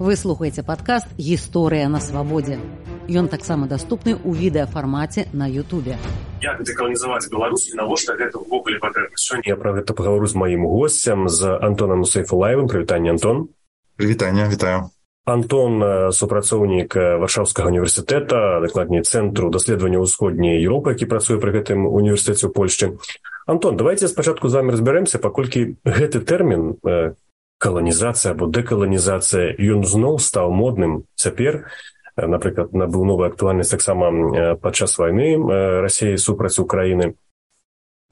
Вы слухаеце падкаст «Гісторыя на свабодзе». Ён таксама даступны ў відэафармаце на Ютубе. Як дэкаланізаваць Беларусь і навошта гэта ўвогуле патрэбна? Сёння я пра гэта паговору з маім госцем, з Антонам Сейфулаевым. Прывітанне, Антон. Прывітанне, вітаю. Антон – супрацоўнік Варшаўскага універсітэта, дакладней Цэнтру даследавання ўсходняй Еўропы, які працуе пры гэтым універсітэце ў Польшчы. Антон, давайте спачатку з вами разбярэмся, паколькі гэты тэрмін каланізацыя або дэкаланізацыя, ён зноў стаў модным цяпер. Напрыклад, набыў новую актуальнасць таксама падчас вайны Расіі супраць Украіны.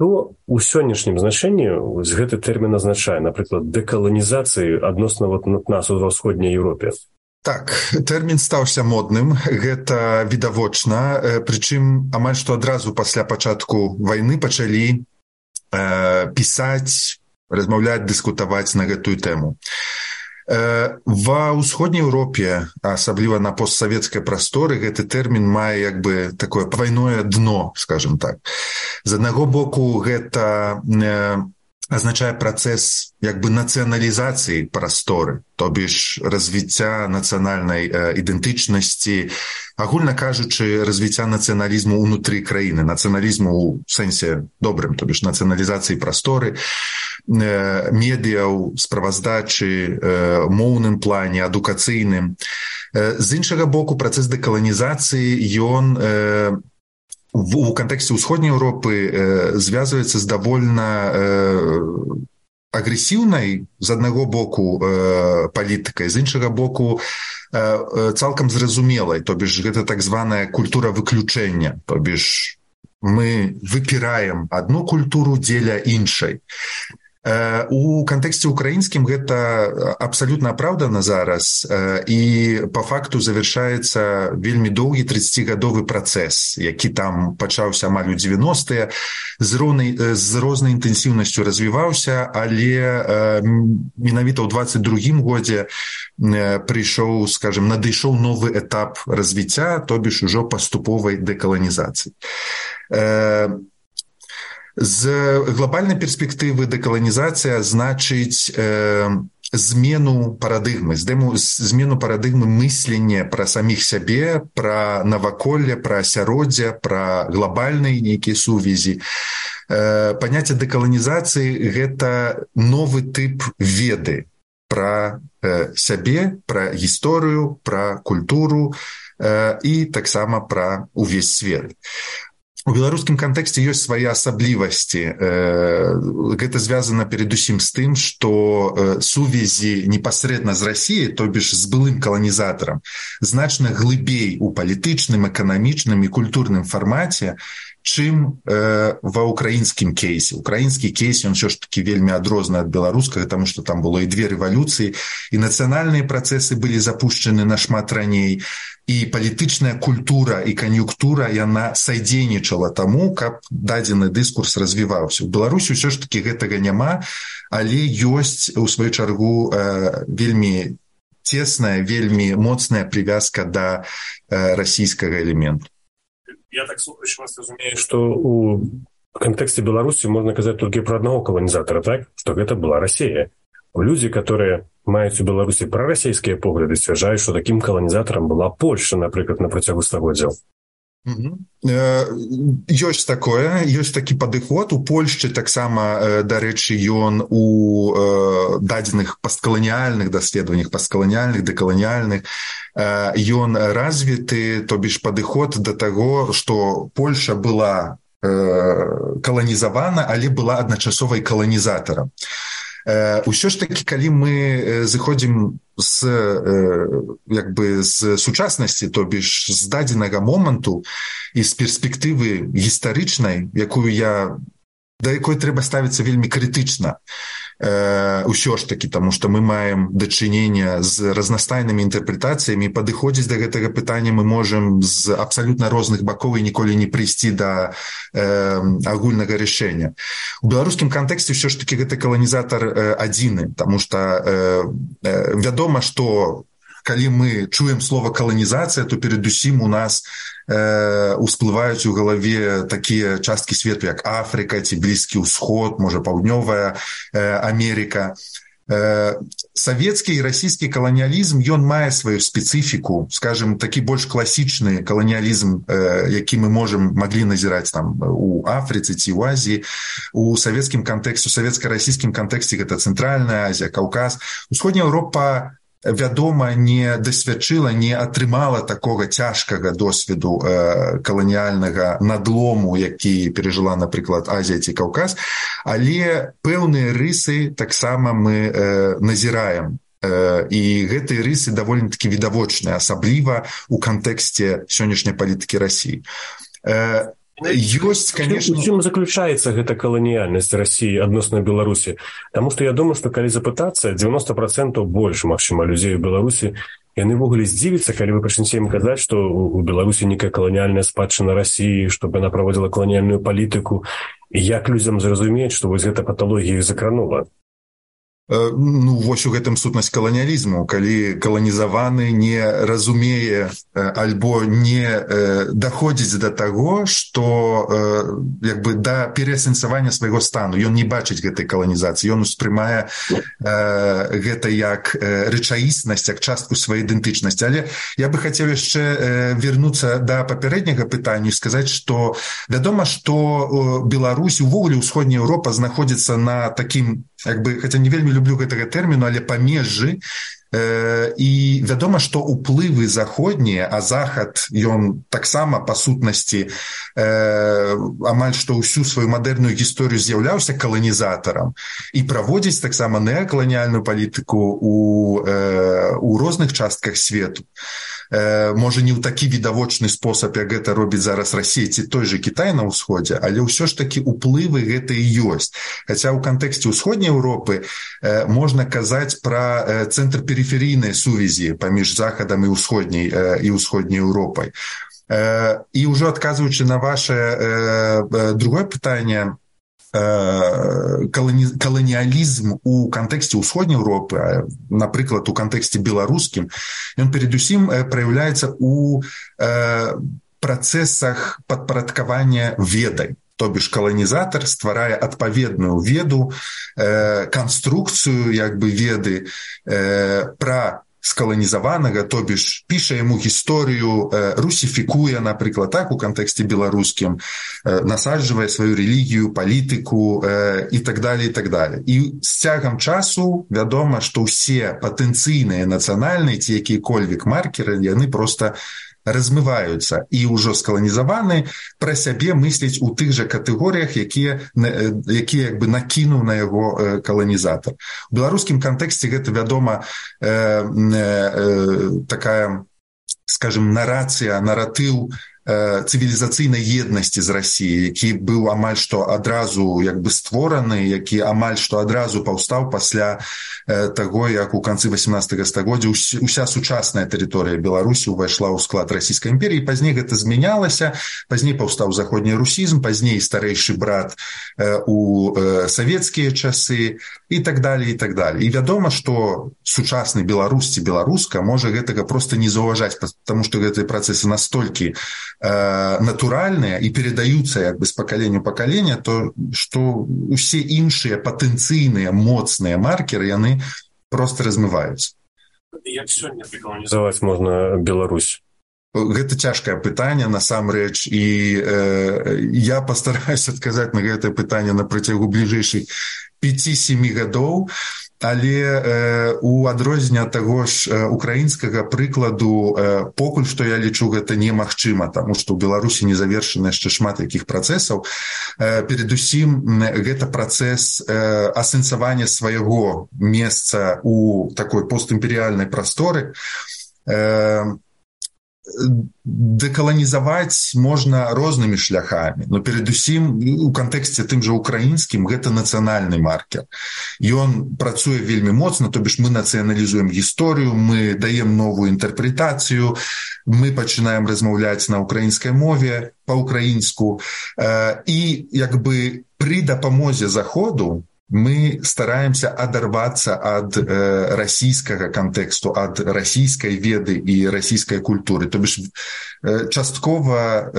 То ў сённяшнім значэнні гэты тэрмін азначае, напрыклад, дэкаланізацыі адносна нас у ўсходняй Еўропе. Так, тэрмін стаўся модным, гэта відавочна, прычым амаль што адразу пасля пачатку вайны пачалі пісаць, размаўляць, дыскутаваць на гэтую тэму. Ва ўсходняй Еўропе, асабліва на постсавецкай прасторы, гэты тэрмін мае як бы такое двайное дно, скажем так. З аднаго боку, гэта азначае працэс як бы нацыяналізацыі прасторы, то бишь развіцця нацыянальнай ідэнтычнасці, агульна кажучы, развіцця нацыяналізму ўнутры краіны, нацыяналізму ў сэнсе добрым, то бишь нацыяналізацыі прасторы, медыяў, справаздачы, моўным плане, адукацыйным. З іншага боку, працэс дэкаланізацыі, ён у кантэксце ўсходняй Еўропы звязваецца з давольна агрэсіўнай, з аднаго боку, палітыкай, з іншага боку, цалкам зразумелай, то бишь гэта так званая культура выключэння, то бишь мы выпіраем адну культуру дзеля іншай. У кантэксце украінскім гэта абсалютна апраўдана зараз, і па факту завяршаецца вельмі доўгі 30-гадовы працэс, які там пачаўся амаль у 90-е, з рознай інтэнсіўнасцю развіваўся, але менавіта ў 22-м годзе прыйшоў, скажем, надышоў новы этап развіцця, то бишь ужо паступовай дэкаланізацыі. З глобальнай перспектывы дэкаланізацыя значыць змену парадыгмы, змену парадыгмы мыслення пра саміх сябе, пра наваколле, пра асяроддзе, пра глобальныя нейкія сувязі. Паняцце дэкаланізацыі – гэта новы тып веды пра сябе, пра гісторыю, пра культуру і таксама пра увесь свет. У беларускім кантэксце ёсць свае асаблівасці. Гэта звязана перадусім з тым, што сувязі непасрэдна з Расіяй, то бишь з былым каланізатарам, значна глыбей у палітычным, эканамічным і культурным фармаце, чым ва ўкраінскім кейсе. Украінскі кейс, ён ўсё ж такі вельмі адрозны ад беларускага, таму што там было і две рэвалюцыі, і нацыянальныя працэсы былі запушчаны нашмат раней, і палітычная культура і кан'юнктура, яна садзейнічала таму, каб дадзены дыскурс развіваўся. У Беларусі ўсё ж такі гэтага няма, але ёсць, у сваю чаргу, вельмі цесная, вельмі моцная прывязка да расійскага элементу. Я так слухаючи вас разумею, што у кантэксце Беларусі можна казаць толькі пра аднаго каланізатара, так? Што гэта была Расія. Людзі, которые маюць у Беларусі прарасійскія погляды, сцвярджаюць, што такім каланізатарам была Польшча, напрыклад, на працягу стагоддзяў. Ёсць такое, ёсць такі падыход. У Польшчы таксама, дарэчы, ён у дадзеных пасткаланіяльных даследаваннях, пасткаланіяльных, дэкаланіяльных, ён развіты, то бишь падыход да таго, што Польшча была каланізавана, але была адначасова і каланізатарам. Усё ж такі, калі мы зыходзім з сучаснасці, то бишь з дадзенага моманту і з перспектывы гістарычнай, да якой трэба ставіцца вельмі крытычна, усё ж такі, таму што мы маем дачынення з разнастайнымі інтэрпрэтацыямі, падыходзіць да гэтага пытання мы можам з абсалютна розных бакоў і ніколі не прыйсці да агульнага рашэння. У беларускім кантэксце ўсё ж такі гэты каланізатар адзіны, таму што вядома, што калі мы чуем слова каланізацыя, то перадусім у нас усплываюць у галаве такія часткі свету, як Афрыка ці Блізкі ўсход, можа, Паўднёвая Амерыка. Савецкі і расійскі каланіялізм, ён мае сваю спецыфіку, скажем, такі больш класічны каланіялізм, які мы маглі назіраць там у Афрыцы ці ў Азіі. У савецкім кантэксце, у савецка-расійскім кантэксце гэта Цэнтральная Азія, Каўказ. Усходняя Еўропа, вядома, не дасвядчыла, не атрымала такога цяжкага досведу каланіяльнага надлому, які перажыла, напрыклад, Азія ці Каўказ, але пэўныя рысы таксама мы назіраем. І гэтыя рысы даволі-такі відавочныя, асабліва ў кантэксце сённяшняй палітыкі Расіі. Ёсць, конечно... У чым заключаецца гэта каланіяльнасць Расіі адносна Беларусі? Таму што я думаю, што калі запытацца, 90% больш, магчыма, людзей у Беларусі, яны ввогуле здзівіцца, калі вы пачнеце ім казаць, што у Беларусі некая каланіяльная спадчына Расіі, што яна праводзіла каланіяльную палітыку. І як людзям зразумець, што вось гэта паталогія іх закранула? Ну, вось у гэтым сутнасць каланіялізму, калі каланізаваны не разумее альбо не даходзіць да таго, што як бы да пераасэнсавання свайго стану. Ён не бачыць гэтай каланізацыі, ён успрымае гэта як рэчаіснасць, як частку сваёй ідэнтычнасці. Але я бы хацеў яшчэ вярнуцца да папярэдняга пытання і сказаць, што вядома, што Беларусь, увогуле ўсходняя Еўропа знаходзіцца на такім, як бы, хаця не вельмі люблю гэтага тэрміну, але памежжы, і вядома, што ўплывы заходнія, а захад, ён таксама па сутнасці амаль што ўсю сваю мадэрную гісторыю з'яўляўся каланізатарам і праводзіць таксама неакаланіяльную палітыку у розных частках свету. Можа, не ў такі відавочны спосаб, як гэта робіць зараз Расія ці той же Кітай на ўсходзе, але ўсё ж такі ўплывы гэта і ёсць. Хаця ў кантэксце ўсходняй Еўропы можна казаць пра цэнтр перыферыйнай сувязі паміж захадам і ўсходняй Еўропай. І ўжо адказваючы на ваше другое пытанне, каланіялізм у кантэксце ўсходняй Еўропы, напрыклад, у кантэксце беларускім, ён перадусім праяўляецца ў працэсах падпарадкавання ведай. То бишь каланізатар стварае адпаведную веду, канструкцыю як бы веды пра скаланізаванага, то бишь піша яму гісторыю, русіфікуе, напрыклад, так, у кантэксце беларускім, насаджвае сваю рэлігію, палітыку і так далее, і так далее. І з цягам часу вядома, што ўсе патэнцыйныя нацыянальныя ці якія-кольвек маркеры, яны проста размываюцца і ўжо скаланізаваны пра сябе мысляць у тых жа катэгорыях, якія як бы накінуў на яго каланізатар. У беларускім кантэксце гэта, вядома, такая, скажем, наратыў цывілізацыйнай еднасці з Расіяй, які быў амаль што адразу як бы створаны, які амаль што адразу паўстаў пасля таго, як у канцы 18 стагоддзя уся сучасная тэрыторыя Беларусі ўвайшла ў склад Расійскай імперіі. Пазней гэта змянялася, пазней паўстаў заходні русізм, пазней старэйшы брат у савецкія часы і так далее, і так далее. І вядома, што сучасны беларус ці беларуска можа гэтага проста не заўважаць, таму што гэтыя працэсы настолькі натуральныя і перадаюцца як бы з пакалення ў пакалення, то што усе іншыя патэнцыйныя моцныя маркеры, яны проста размываюцца. Як сёння дэкаланізаваць можна Беларусь? Гэта цяжкае пытанне, насамрэч, і я пастараюся адказаць на гэтае пытанне на працягу бліжэйшых 5-7 гадоў, але у адрозненне ад таго ж украінскага прыкладу покуль што я лічу гэта немагчыма, таму што ў Беларусі не завершана яшчэ шмат якіх працэсаў. Перадусім гэта працэс асэнсавання свайго месца у такой постімперыяльнай прасторы. Дэкаланізаваць можна рознымі шляхамі, но перадусім у кантэксце тым жа украінскім гэта нацыянальны маркер. Ён працуе вельмі моцна, то бишь мы нацыяналізуем гісторыю, мы даем новую інтэрпрэтацыю, мы пачынаем размаўляць на украінскай мове па-украінску, і як бы пры дапамозе заходу мы стараемся адарвацца ад расійскага кантэксту, ад расійскай веды і расійскай культуры. То бишь часткова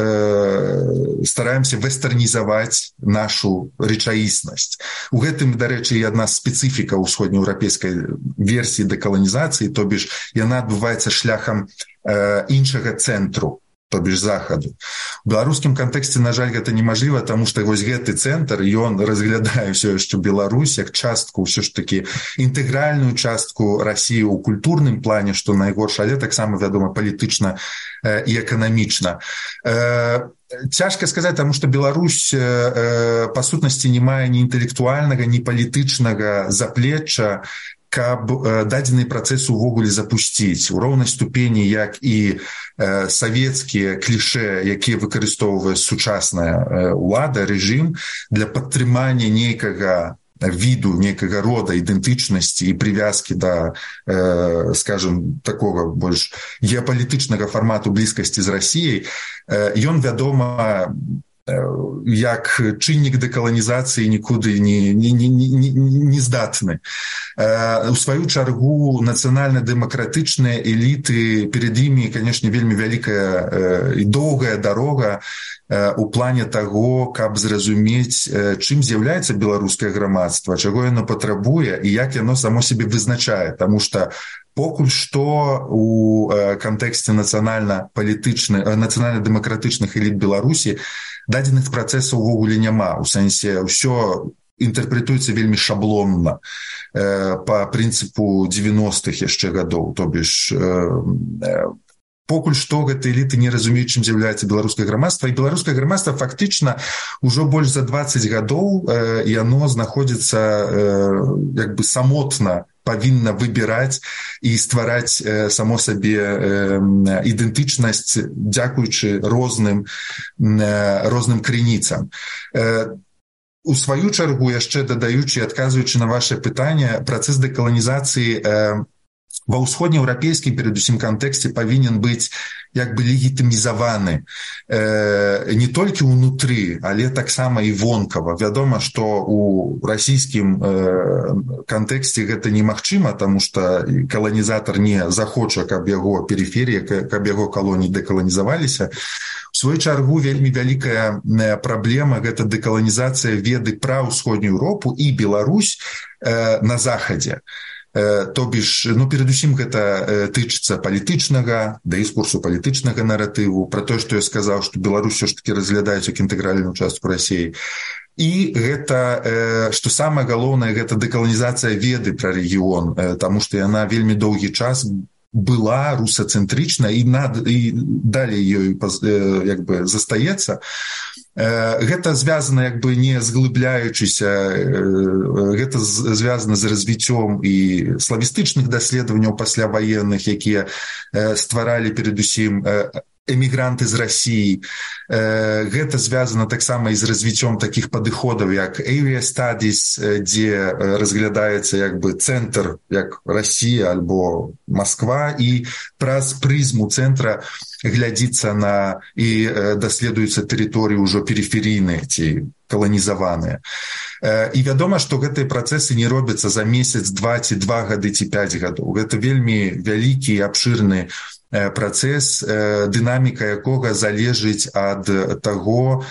стараемся вестэрнізаваць нашу рэчаіснасць. У гэтым, дарэчы, і адна спецыфіка ўсходнееўрапейскай версіі дэкаланізацыі, то бишь яна адбываецца шляхам іншага цэнтру, то бишь захаду. У беларускім кантэксце, на жаль, гэта немажліва, таму што вось гэты цэнтр, ён разглядае ўсё яшчэ Беларусь як частку, ўсё ж такі інтэгральную частку Расіі ў культурным плане, што найгорш, але таксама, вядома, палітычна і эканамічна. Цяжка сказаць, таму што Беларусь па сутнасці не мае ні інтэлектуальнага, ні палітычнага заплечча, каб дадзены працэс увогуле запусціць у роўнай ступені, як і савецкія кліше, якія выкарыстоўвае сучасная ўлада, рэжым, для падтрымання нейкага віду, нейкага рода ідэнтычнасці і прывязкі да, скажем, такога больш геапалітычнага фармату блізкасці з Расіяй, ён, вядома, як чыннік дэкаланізацыі нікуды не здатны. У сваю чаргу нацыянальна-дэмакратычныя эліты, перад імі, канешне, вельмі вялікая і доўгая дарога у плане таго, каб зразумець, чым з'яўляецца беларускае грамадства, чаго яно патрабуе і як яно само сябе вызначае. Таму што покуль што у кантэксце нацыянальна-дэмакратычных эліт Беларусі дадзеных працэсаў увогуле няма. У сэнсе, ўсё інтэрпрэтуецца вельмі шаблонна па прынцыпу 90-х яшчэ гадоў. То бишь, покуль што гэтыя эліты не разумеюць, чым з'яўляецца беларускае грамадства, і беларускае грамадства фактычна ўжо больш за 20 гадоў яно знаходзіцца як бы самотна, павінна выбіраць і ствараць само сабе ідэнтычнасць, дзякуючы розным крыніцам. У сваю чаргу, яшчэ дадаючы і адказваючы на ваше пытанне, працэс дэкаланізацыі ва ўсходнееўрапейскім, перадусім, кантэксце павінен быць як бы легітымізаваны не толькі ўнутры, але таксама і вонкава. Вядома, што у расійскім кантэксце гэта немагчыма, таму што каланізатар не захоча, каб яго перыферія, каб яго калоніі дэкаланізаваліся. У сваю чаргу вельмі вялікая праблема – гэта дэкаланізацыя веды пра ўсходнюю Еўропу і Беларусь на захадзе. То бишь, перадусім гэта тычыцца палітычнага, дыскурсу палітычнага наратыву, пра тое, што я сказаў, што Беларусь ўсё ж такі разглядаюць як інтэгральную частку Расіі. І гэта, што самае галоўнае, гэта дэкаланізацыя веды пра рэгіён, таму што яна вельмі доўгі час была русацэнтрычна і далей ёй як бы застаецца. Гэта звязана, як бы не зглыбляючыся, гэта звязана з развіццём і славістычных даследаванняў пасляваенных, якія стваралі перадусім эмігранты з Расіі. Гэта звязана таксама і з развіццём такіх падыходаў, як area studies, дзе разглядаецца як бы цэнтр, як Расія альбо Масква, і праз прызму цэнтра глядзіцца на і даследуюцца тэрыторыі ўжо перыферыйныя ці каланізаваныя. І вядома, што гэтыя працэсы не робяцца за месяц, два ці 2 гады ці 5 гадоў. Гэта вельмі вялікі і абшырны працэс, дынаміка якога залежыць ад таго,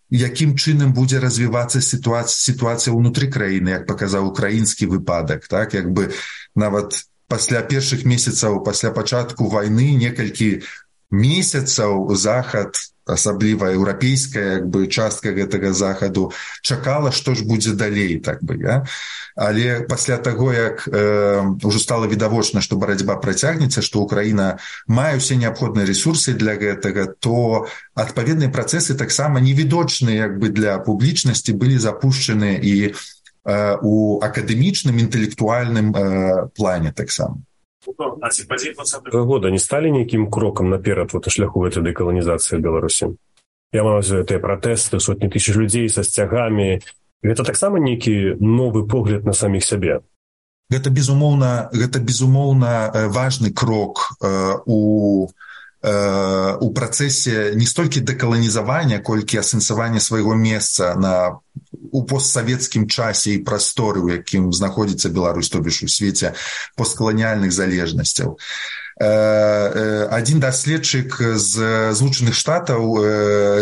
якім чынам будзе развівацца сітуацыя ўнутры краіны, як паказаў украінскі выпадак. Так? Як бы нават пасля першых месяцаў, пасля пачатку вайны, некалькі месяцаў захад, асабліва еўрапейская як бы частка гэтага захаду, чакала, што ж будзе далей, так бы, ja? Але пасля таго, як ўжо стала відавочна, што барацьба працягнецца, што Украіна мае ўсе неабходныя рэсурсы для гэтага, то адпаведныя працэсы таксама невідочныя як бы для публічнасці былі запушчаны і у акадэмічным, інтэлектуальным плане таксама. Года не сталі нейкім крокам наперад на шляху гэтай дэкаланізацыі Беларусі? Я маю гэтыя пратэсты, сотні тысяч людзей са сцягамі. Гэта таксама нейкі новы погляд на саміх сябе? Гэта безумоўна важны крок у працэсе не столькі дэкаланізавання, колькі асэнсавання свайго месца на у постсавецкім часе і прасторы, у якім знаходзіцца Беларусь, то бишь у свеце посткаланіяльных залежнасцяў. Один даследчык з Злучаных Штатаў,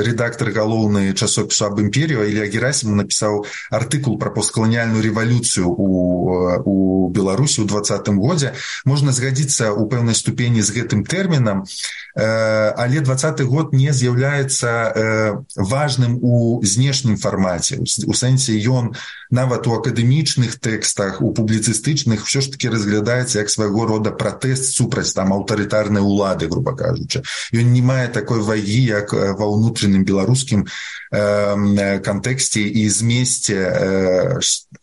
редактор галоўны часопісу «Аб імперію» Ілля Герасімов напісаў артыкул пра посткаланіяльную рэвалюцыю у Беларусі ў 2020 годзе. Можна згадзіцца ў пэўнай ступені з гэтым тэрмінам, але 2020 год не з'яўляецца важным у знешнім фармаце. У сэнсе ён нават у акадэмічных тэкстах, у публіцыстычных ўсё ж таки разглядаецца як свайго рода пратэст супраць там аўтарытарнай улады, грубо кажучы. Ён не мае такой вагі, як ва ўнутраным беларускім кантэксце і змесце,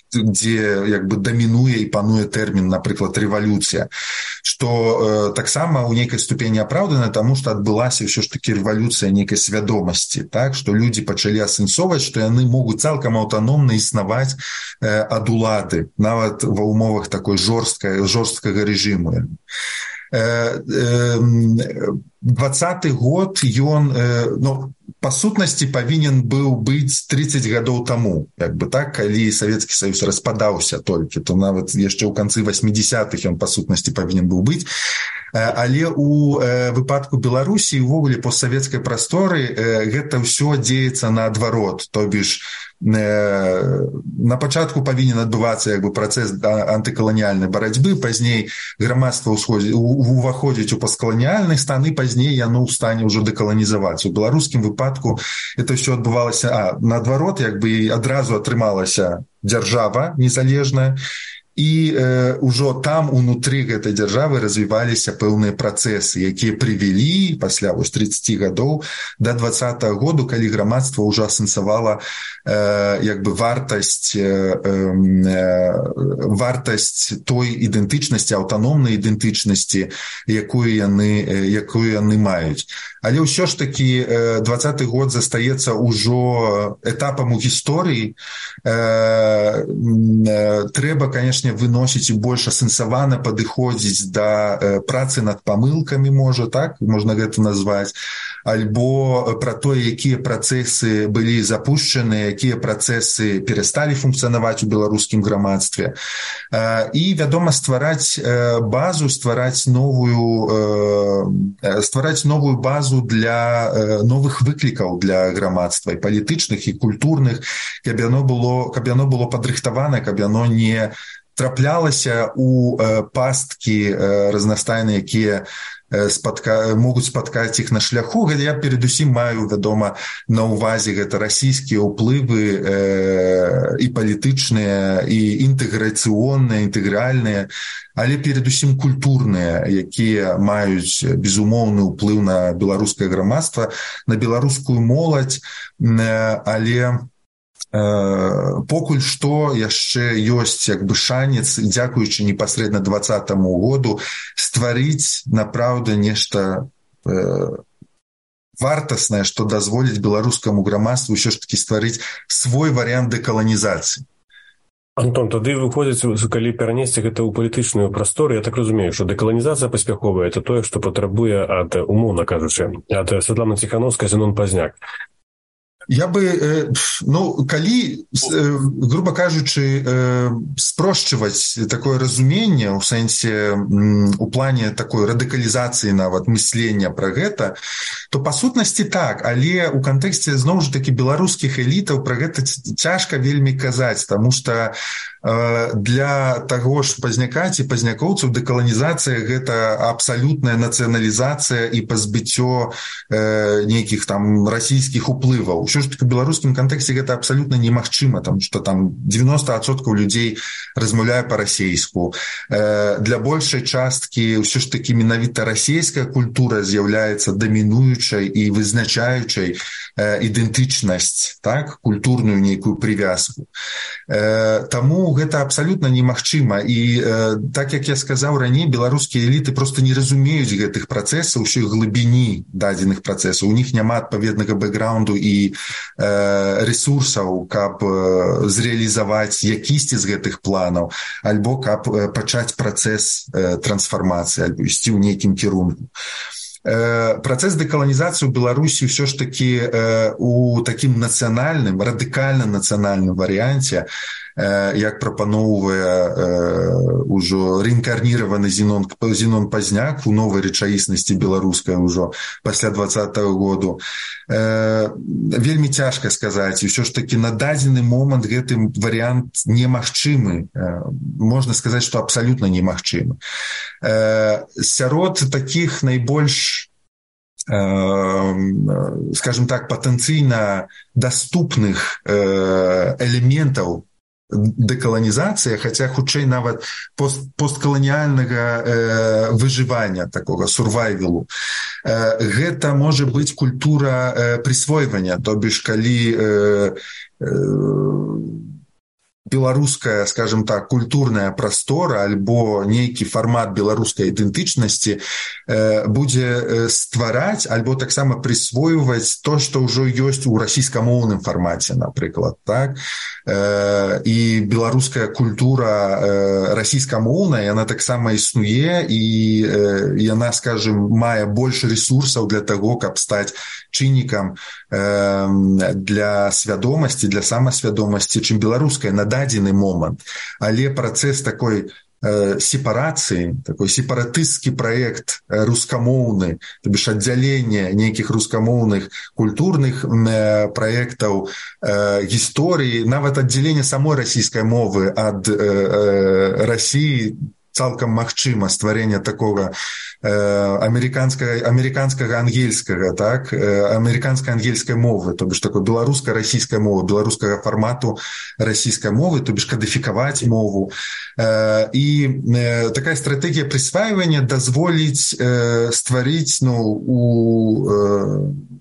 дзе як бы дамінуе і пануе тэрмін, напрыклад, рэвалюцыя, што таксама ў нейкай ступені апраўдана, таму што адбылася ўсё ж такі рэвалюцыя нейкай свядомасці, так, што людзі пачалі асэнсоўваць, што яны могуць цалкам аўтаномна існаваць ад улады, нават ва ўмовах такой жорсткага рэжыму. 2020 год, ён, ну, па сутнасці павінен быў быць 30 гадоў таму, як бы так, калі Савецкі Саюз распадаўся толькі, то нават яшчэ ў канцы 80-х ён па сутнасці павінен быў быць. Але у выпадку Беларусі увогуле постсавецкай прасторы гэта ўсё дзеецца наадварот, то бишь на пачатку павінен адбывацца як бы працэс антыкаланіяльнай барацьбы, пазней грамадства уваходзіць у посткаланіяльны стан, і пазней яно ў стане ўжо дэкаланізаваць. У беларускім выпадку это ўсё адбывалася наадварот, як бы адразу атрымалася дзяржава незалежная, і ўжо там унутры гэтай дзяржавы развіваліся пэўныя працэсы, якія прывялі пасля 30 гадоў да 2020 году, калі грамадства ўжо асэнсавала як бы вартасць той ідэнтычнасці, аўтаномнай ідэнтычнасці, якую яны маюць. Але ўсё ж такі 20 год застаецца ўжо этапам у гісторыі. Трэба, канешне, выносіць і больш асэнсавана падыходзіць да працы над памылкамі, можна гэта назваць, альбо пра тое, якія працэсы былі запушчаны, якія працэсы перасталі функцыянаваць у беларускім грамадстве. І, вядома, ствараць новую базу для новых выклікаў для грамадства, і палітычных, і культурных, каб яно было падрыхтавана, каб яно не траплялася у пасткі разнастайныя, якія могуць спаткаць іх на шляху. Я перадусім маю, вядома, на ўвазе гэта расійскія ўплывы і палітычныя, і інтэграцыйныя, інтэгральныя, але перадусім культурныя, якія маюць безумоўны ўплыў на беларускае грамадства, на беларускую моладзь, але покуль што яшчэ ёсць як бы шанец, дзякуючы непасрэдна 2020 году, стварыць напраўду нешта вартаснае, што дазволіць беларускаму грамадству ўсё ж такі стварыць свой варыянт дэкаланізацыі. Антон, тады выходзіць, калі перанесці гэта ў палітычную прастору, я так разумею, што дэкаланізацыя паспяховая – это тое, што патрабуе ад, умоўна кажучы, ад Святланы Ціхановскай, Зенон Пазняк. Я бы, калі, грубо кажучы, спрошчваць такое разуменне ў сэнсе у плане такой радыкалізацыі нават мыслення пра гэта, то па сутнасці так, але ў кантэксце зноў жа такі беларускіх элітаў пра гэта цяжка вельмі казаць, таму што для таго ж Пазняка ці пазнякоўцаў дэкаланізацыя гэта абсалютная нацыяналізацыя і пазбыццё нейкіх там расійскіх уплываў. Ўсё ж таки в беларускім кантэксце гэта абсалютна немагчыма, таму што там 90% людзей размаўляе па-расейску. Для большай часткі ўсё ж такі менавіта расійская культура з'яўляецца дамінуючай і вызначаючай ідэнтычнасць, так, культурную нейкую прывязку. Таму гэта абсалютна немагчыма. І так, як я сказаў раней, беларускія эліты проста не разумеюць гэтых працэсаў, усёй глыбіні дадзеных працэсаў. У них няма адпаведнага бэкграунду і ресурсаў, каб зрэалізаваць якісьці з гэтых планаў, альбо каб пачаць працэс трансфармацыі, альбо ісці ў нейкім кірунку. Працэс дэкаланізацыі ў Беларусі ўсё ж такі у такім нацыянальным, радыкальна нацыянальным варыянце, як прапаноўвае ўжо рэінкарніраваны Зінон Пазняк у новай рэчаіснасці беларускай ужо пасля 20-го году. Вельмі цяжка сказаць, і ўсё ж такі на дадзены момант гэты варыянт немагчымы. Можна сказаць, што абсалютна немагчымы. Сярод такіх найбольш, скажем так, патэнцыйна даступных элементаў дэкаланізацыі, хаця хутчэй нават посткаланіяльнага выжывання, такога сурвайвелу. Гэта можа быць культура прысвойвання, то бишь калі беларуская, скажем так, культурная прастора альбо нейкі фармат беларускай ідэнтычнасці будзе ствараць альбо таксама прысвойваць то, што ўжо ёсць у расійскамоўным фармаце, напрыклад, так? І беларуская культура расійскамоўная, яна таксама існуе, і яна, скажем, мае больш рэсурсаў для таго, каб стаць чыннікам для свядомасці, для самасвядомасці, чым беларуская на дадзены момант. Але працэс такой сепарацыі, такой сепаратысцкі праект рускамоўны, то бишь аддзяленне нейкіх рускамоўных культурных праектаў, гісторыі, нават аддзяленне самой расійскай мовы ад Расіі, цалкам магчыма стварэнне такога амерыканскага ангельскага, так, амерыканскай ангельскай мовы, то бишь такой беларуска-расійскай мовы, беларускага фармату расійскай мовы, то бишь кадыфікаваць мову. І такая стратэгія прысваивання дазволіць стварыць,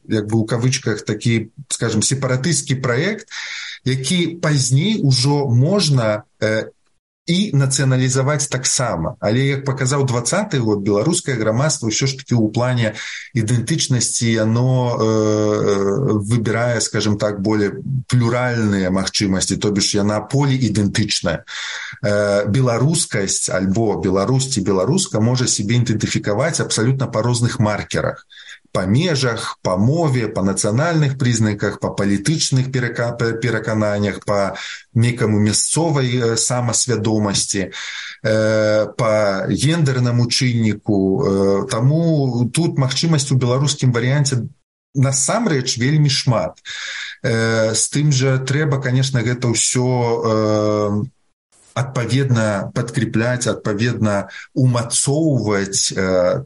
як бы у кавычках такі, скажем, сепаратысцкі праект, які пазней ужо можна і нацыяналізаваць таксама. Але, як паказаў 20-й год, беларускае грамадства ўсё ж такі ў плане ідэнтычнасці яно выбірае, скажем так, более плюральныя магчымасці, то бишь яна поліідэнтычная. Беларускасць альбо Беларусь ці беларуска можа сябе ідэнтыфікаваць абсалютна па розных маркерах. Па межах, па мове, па нацыянальных прызнаках, па палітычных перакананнях, па некаму мясцовай самасвядомасці, па гендернаму чынніку. Таму тут магчымасць у беларускім варыянце насамрэч вельмі шмат. З тым жа трэба, конечно, гэта ўсё адпаведна падкріпляць, адпаведна умацоўваць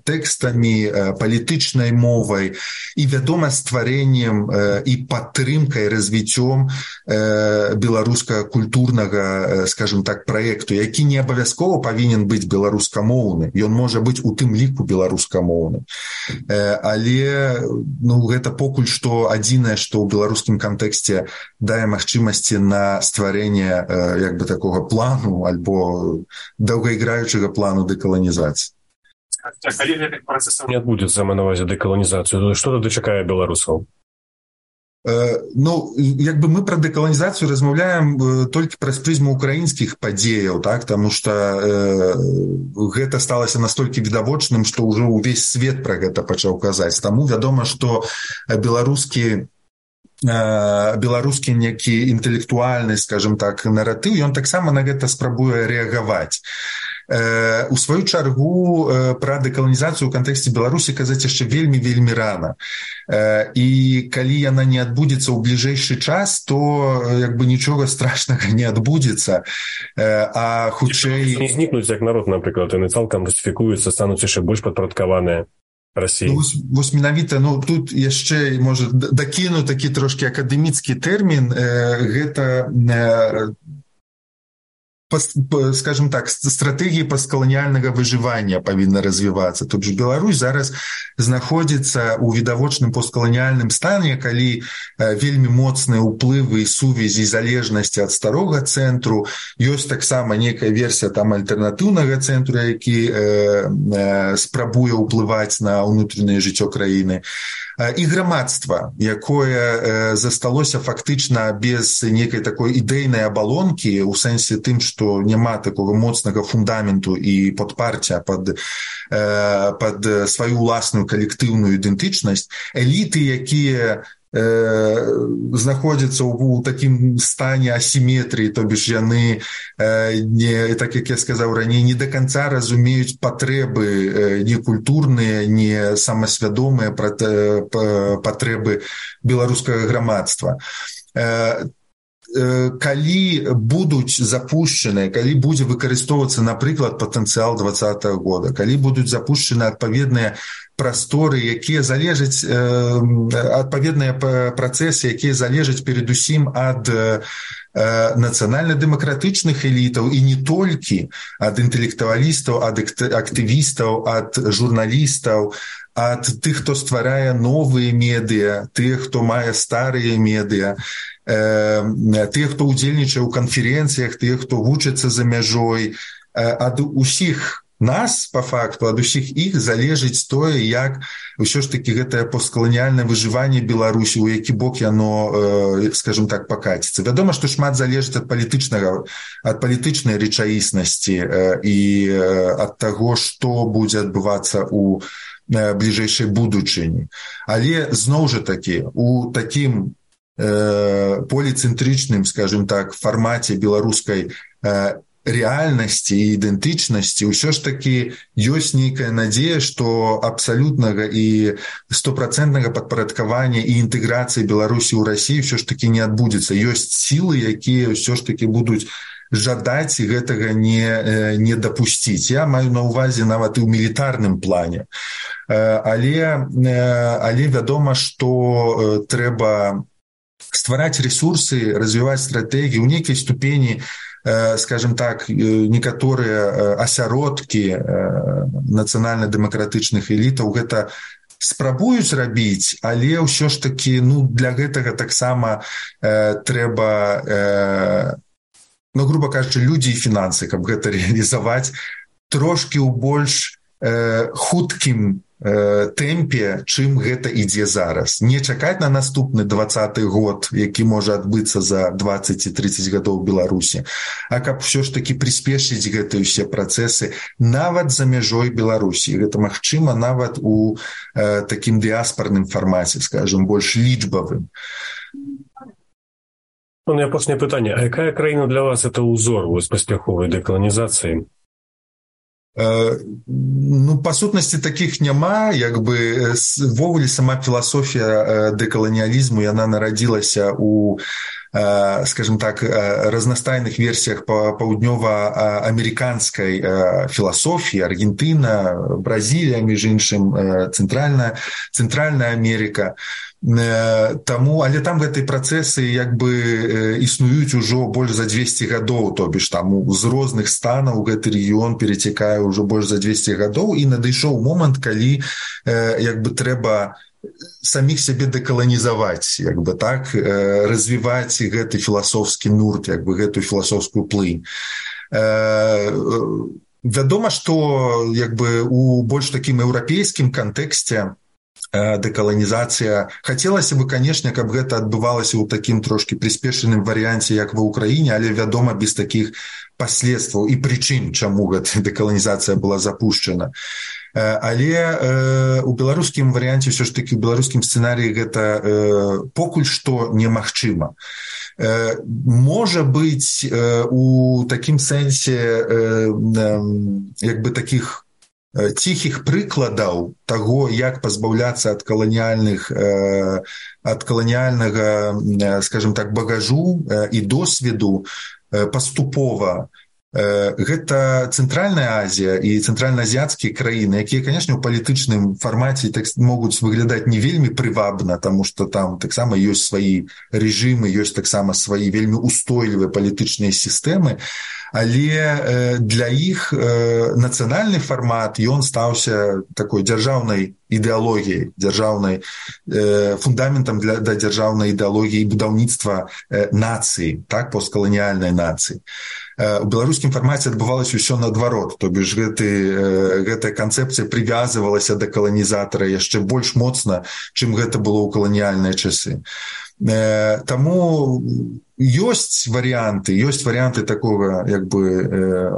тэкстамі, палітычнай мовай і, вядома, стварэннем і падтрымкай, развіццём беларускага культурнага, скажем так, праекту, які не абавязкова павінен быць беларускамоўны. Ён можа быць у тым ліку беларускамоўны. Але гэта покуль што адзінае, што ў беларускім кантэксце дае магчымасці на стварэнне як бы такога плану альбо доўгаіграючага плану дэкаланізацыі. Калі гэтых працэсаў не адбудзецца, маю на ўвазе дэкаланізацыю, што тады чакае беларусаў? Як бы мы пра дэкаланізацыю размаўляем толькі праз прызму украінскіх падзеяў, так, таму што гэта сталася настолькі відавочным, што ўжо ўвесь свет пра гэта пачаў казаць. Таму вядома, што беларускі некі інтэлектуальны, скажем так, наратыў, ён таксама на гэта спрабуе рэагаваць. У сваю чаргу пра дэкаланізацыю ў кантэксце Беларусі казаць яшчэ вельмі рана. І калі яна не адбудзецца ў бліжэйшы час, то як бы нічога страшнага не адбудзецца. А хутчэй не знікнуць як народ, напрыклад, яны цалкам русіфікуюцца, стануць яшчэ больш падпарадкаваныя Расіі. Вось менавіта, тут яшчэ, можа, дакіну такі трошкі акадэміцкі тэрмін, гэта, скажем так, стратэгіі посткаланіяльнага выжывання павінна развівацца. Тут же Беларусь зараз знаходзіцца ў відавочным посткаланіяльным стане, калі вельмі моцныя ўплывы і сувязі залежнасці ад старога цэнтру. Ёсць таксама некая версія там альтэрнатыўнага цэнтру, які спрабуе ўплываць на ўнутранае жыццё краіны. і грамадства, якое засталося фактычна без нейкай такой ідэйнай абалонкі, у сэнсе тым, што няма такога моцнага фундаменту і падпарця пад сваю ўласную калектыўную ідэнтычнасць, эліты, якія знаходзяцца ў такім стане асіметрыі, то бишь яны, так як я сказаў раней, не до конца разумеюць патрэбы не культурныя, не самасвядомыя патрэбы беларускага грамадства. Калі будуць запушчаныя, калі будзе выкарыстоўвацца, напрыклад, патэнцыял 2020 года, калі будуць запушчаны адпаведныя прасторы, якія залежаць, адпаведныя працэсы, якія залежаць перадусім ад нацыянальна-дэмакратычных элітаў і не толькі ад інтэлектуалістаў, ад актывістаў, ад журналістаў, ад тых, хто стварае новыя медыа, тых, хто мае старыя медыа, тых, хто ўдзельнічае ў канферэнцыях, тых, хто вучыцца за мяжой, ад усіх нас, па факту, ад усіх іх залежыць тое, як ўсё ж такі гэтае посткаланіяльнае выжыванне Беларусі, у які бок яно, скажем так, пакаціцца. Вядома, што шмат залежыць ад палітычнай рэчаіснасці і ад таго, што будзе адбывацца ў бліжэйшай будучыні. Але, зноў жа такі, у такім поліцэнтрычным, скажем так, фармаце беларускай рэальнасці і ідэнтычнасці ўсё ж такі ёсць нейкая надзея, што абсалютнага і 100% падпарадкавання і інтэграцыі Беларусі ў Расіі ўсё ж такі не адбудзецца. Ёсць сілы, якія ўсё ж такі будуць жадаць гэтага не дапусціць. Я маю на ўвазе нават і ў мілітарным плане. Але вядома, што трэба ствараць рэсурсы, развіваць стратэгіі, у нейкай ступені, скажем так, некаторыя асяродкі нацыянальна-дэмакратычных элітаў гэта спрабуюць рабіць, але ўсё ж такі, для гэтага таксама трэба, груба кажучы, людзі і фінансы, каб гэта рэалізаваць трошкі ў больш хуткім тэмпе, чым гэта ідзе зараз. Не чакаць на наступны 20-й год, які можа адбыцца за 20-30 гадоў Беларусі, а каб ўсё ж такі прыспешыць гэтыя ўсе працэсы нават за мяжой Беларусі. Гэта магчыма нават у такім дыяспарным фармаце, скажем, больш лічбавым. І апошняе пытанне. А якая краіна для вас это ўзор вось паспяховай дэкаланізацыі? Па сутнасці такіх няма, ввогуле сама філасофія дэкаланіялізму, яна нарадзілася у, скажем так, разнастайных версіях паўднёва-амерыканскай філасофіі, Аргентына, Бразілія, між іншым, Цэнтральная Амерыка. Але там гэтыя працэсы існуюць ужо больш за 200 гадоў, то бишь там з розных станаў гэты рэгіён перацякае ўжо больш за 200 гадоў, і надышоў момант, калі трэба саміх сябе дэкаланізаваць, так, развіваць гэты філасофскі нурт, гэтую філасофскую плынь. Вядома, што у больш такім еўрапейскім кантэксце дэкаланізацыя. Хацелася бы, канешне, каб гэта адбывалася ў такім трошкі прыспешаным варыянце, як ва ўкраіне, але, вядома, без такіх паследстваў і прычын, чаму гэта дэкаланізацыя была запушчана. Але у беларускім варыянце, ўсё ж такі, у беларускім сцэнарыі гэта покуль што немагчыма. Можа быць, у такім сэнсе такіх ціхіх прыкладаў таго, як пазбаўляцца ад каланіяльнага, скажем так, багажу і досведу паступова. Гэта Цэнтральная Азія і цэнтральна-азіяцкія краіны, якія, канешне, у палітычным фармаце могуць выглядаць не вельмі прывабна, таму што там таксама ёсць свае рэжымы, ёсць таксама свае вельмі устойлівыя палітычныя сістэмы, але для іх нацыянальны фармат, ён стаўся такой дзяржаўнай ідэалогіяй дзяржаўнай, фундаментам да дзяржаўнай ідэалогіі і будаўніцтва нацыі, так, посткаланіяльнай нацыі. У беларускім фармаце адбывалася ўсё наадварот, то бишь гэтая канцэпцыя прывязвалася да каланізатара яшчэ больш моцна, чым гэта было ў каланіяльныя часы. Таму ёсць варыянты такога, як бы,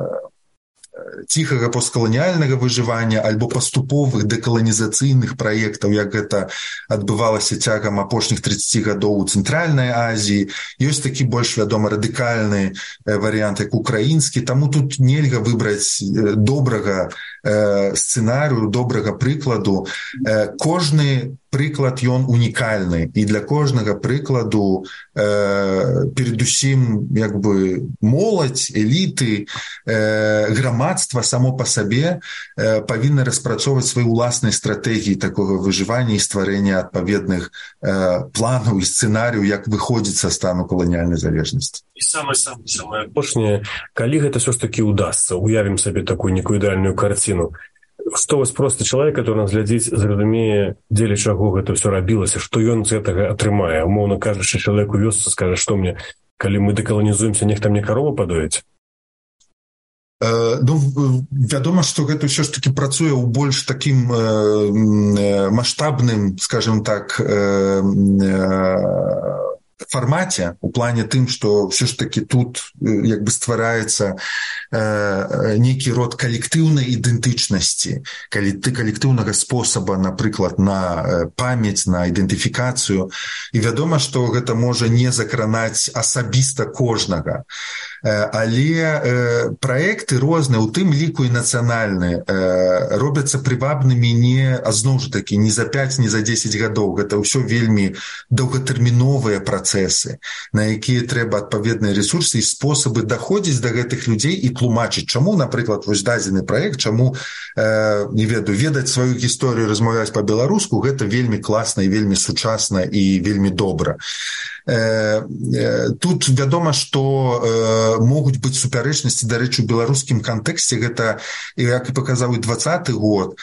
ціхага посткаланіяльнага выжывання альбо паступовых дэкаланізацыйных праектаў, як гэта адбывалася цягам апошніх 30 гадоў у Цэнтральнай Азіі. Ёсць такі больш вядома радыкальны варыянт, як украінскі, таму тут нельга выбраць добрага сцэнарыю, добрага прыкладу. Кожны прыклад ён унікальны, і для кожнага прыкладу перадусім як бы моладзь, эліты, грамадства само па сабе павінны распрацоўваць свае ўласныя стратэгіі такога выжывання і стварэння адпаведных планаў і сцэнарыяў, як выходзіць са стану каланіяльнай залежнасці. І самае апошняе, калі гэта ўсё ж такі ўдасца, уявім сабе такую некую ідэальную карціну, што вось просты чалавек, который нас глядзіць, зразумее, дзеля чаго гэта ўсё рабілася, што ён з гэтага атрымае. Умоўна кажучы, чалавек у вёсцы скажа, што мне, калі мы дэкаланізуемся, нехта мне карову падоіць? Ну, вядома, што гэта ўсё ж такі працуе ў больш такім маштабным, скажем так, фармаце, у плане тым, што ўсё ж такі тут як бы ствараецца нейкі род калектыўнай ідэнтычнасці, калектыўнага спосаба, напрыклад, на памяць, на ідэнтыфікацыю. І вядома, што гэта можа не закранаць асабіста кожнага. Але праекты розныя, у тым ліку і нацыянальныя, робяцца прывабнымі не, а зноў жа такі, не за 5, не за 10 гадоў. Гэта ўсё вельмі доўгатэрміновыя працэсы, на якія трэба адпаведныя рэсурсы і спосабы даходзіць да гэтых людзей і тлумачыць, чаму, напрыклад, вось дадзены праект, чаму, не ведаю, ведаць сваю гісторыю, размаўляць па-беларуску, гэта вельмі класна і вельмі сучасна і вельмі добра. Тут вядома, што могуць быць супярэчнасці, дарэчы, у беларускім кантэксце, гэта, як і паказаў і 20-й год,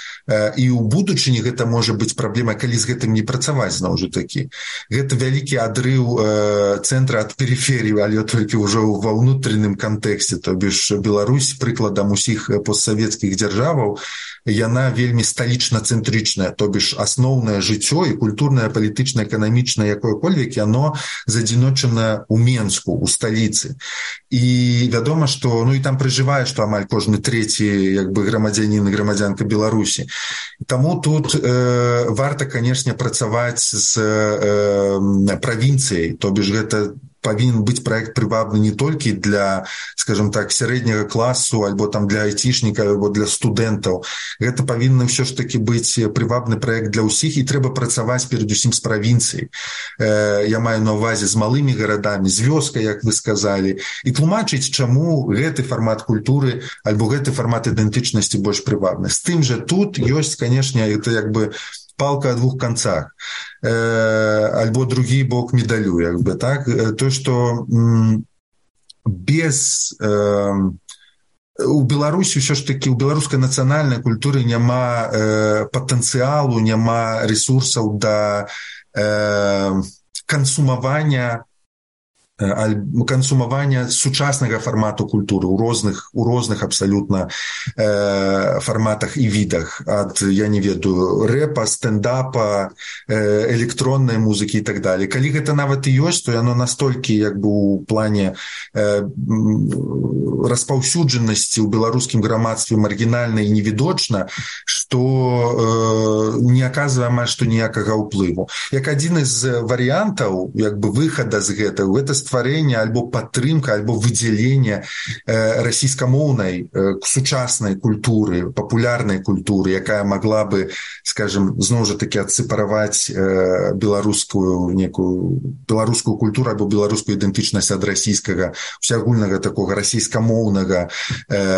і ў будучыні гэта можа быць праблема, калі з гэтым не працаваць, зноў жа такі. Гэта вялікі адрыў цэнтра ад перыферыі, але толькі ўжо ва ўнутраным кантэксце, то бишь Беларусь, прыкладам усіх постсавецкіх дзяржаваў, яна вельмі сталічна-цэнтрычная, то бишь асноўнае жыццё і культурнае, палітычнае, эканамічнае, якое-кольвек, яно задзіночана ў Менску, у сталіцы. І вядома, што, ну і там пражывае, што амаль кожны трэці, як бы, грамадзянін і грамадзянка Беларусі. Таму тут варта, канешне, працаваць з правінцыяй, то бишь гэта павінен быць праект прывабны не толькі для, скажем так, сярэдняга класу, альбо там для айцішніка, альбо для студэнтаў. Гэта павінен ўсё ж такі быць прывабны праект для ўсіх, і трэба працаваць перадусім з правінцыяй. Я маю на ўвазе з малымі гарадамі, з вёскай, як вы сказалі, і тлумачыць, чаму гэты фармат культуры альбо гэты фармат ідэнтычнасці больш прывабны. З тым жа тут ёсць, канешне, это як бы палка о двух концах, альбо другі бок медалю, як бы, так? То, што без... У Беларусі ўсё ж такі, у беларускай нацыянальнай культуры няма патэнцыялу, няма рэсурсаў да кансумавання сучаснага фармату культуры у розных абсалютна фарматах і відах, ад, я не ведаю, рэпа, стендапа, электроннай музыкі і так далее. Калі гэта нават і ёсць, то яно настолькі, як бы, у плане распаўсюджанасці ў беларускім грамадстве маргінальна і невідочна, што не аказвае амаль што ніякага ўплыву. Як адзін з варыянтаў, як бы, выхада з гэтага, гэта стварэнне альбо падтрымка, альбо выдзяленне расійскамоўнай сучаснай культуры, папулярнай культуры, якая магла бы, скажем, зноў жа такі адсепараваць беларускую культуру альбо беларускую ідэнтычнасць ад расійскага, усеагульнага такога расійскамоўнага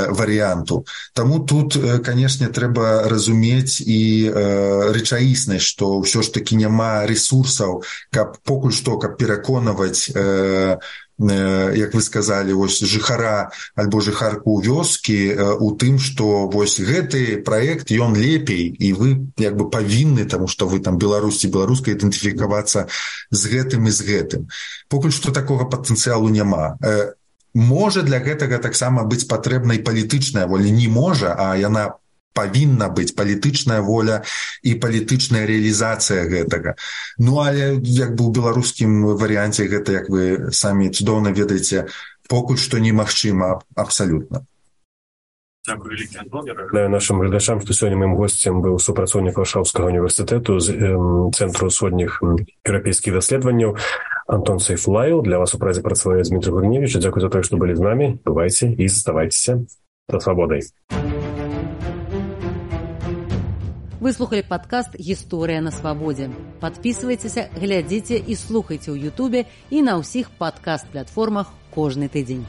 варыянту. Таму тут, канешне, трэба разумець і рэчаіснасць, што ўсё ж такі няма рэсурсаў, каб покуль што, каб пераконваць як вы сказалі, вось жыхара альбо жыхарку вёскі у тым, што вось гэты праект ён лепей і вы як бы павінны, таму што вы там беларусці беларуска ідэнтыфікавацца з гэтым і з гэтым. Покуль што такога патэнцыялу няма. Можа для гэтага таксама быць патрэбна і палітычная воля, не можа, а яна павінна быць палітычная воля і палітычная рэалізацыя гэтага. Ну, але як бы ў беларускім варыянце гэта, як вы самі цудоўна ведаеце, покуль што немагчыма абсалютна. Дякую, вялікі, Антон. Я нагадаю нашим глядачам, што сёння маім госцем быў супрацоўнік Варшаўскага універсітэту з Цэнтру ўсходніх еўрапейскіх даследаванняў Антон Сайфуллаев. Для вас у празе працавае Дмітрий Гриневич. Дзякуй за тое, што былі з намі. Бывайце і заставайцеся за свабодай. Вы слухали падкаст «Гісторыя на свабодзе». Падпісвайцеся, глядзіце і слухайце ў Ютубе і на ўсіх падкаст-платформах кожны тыдзень.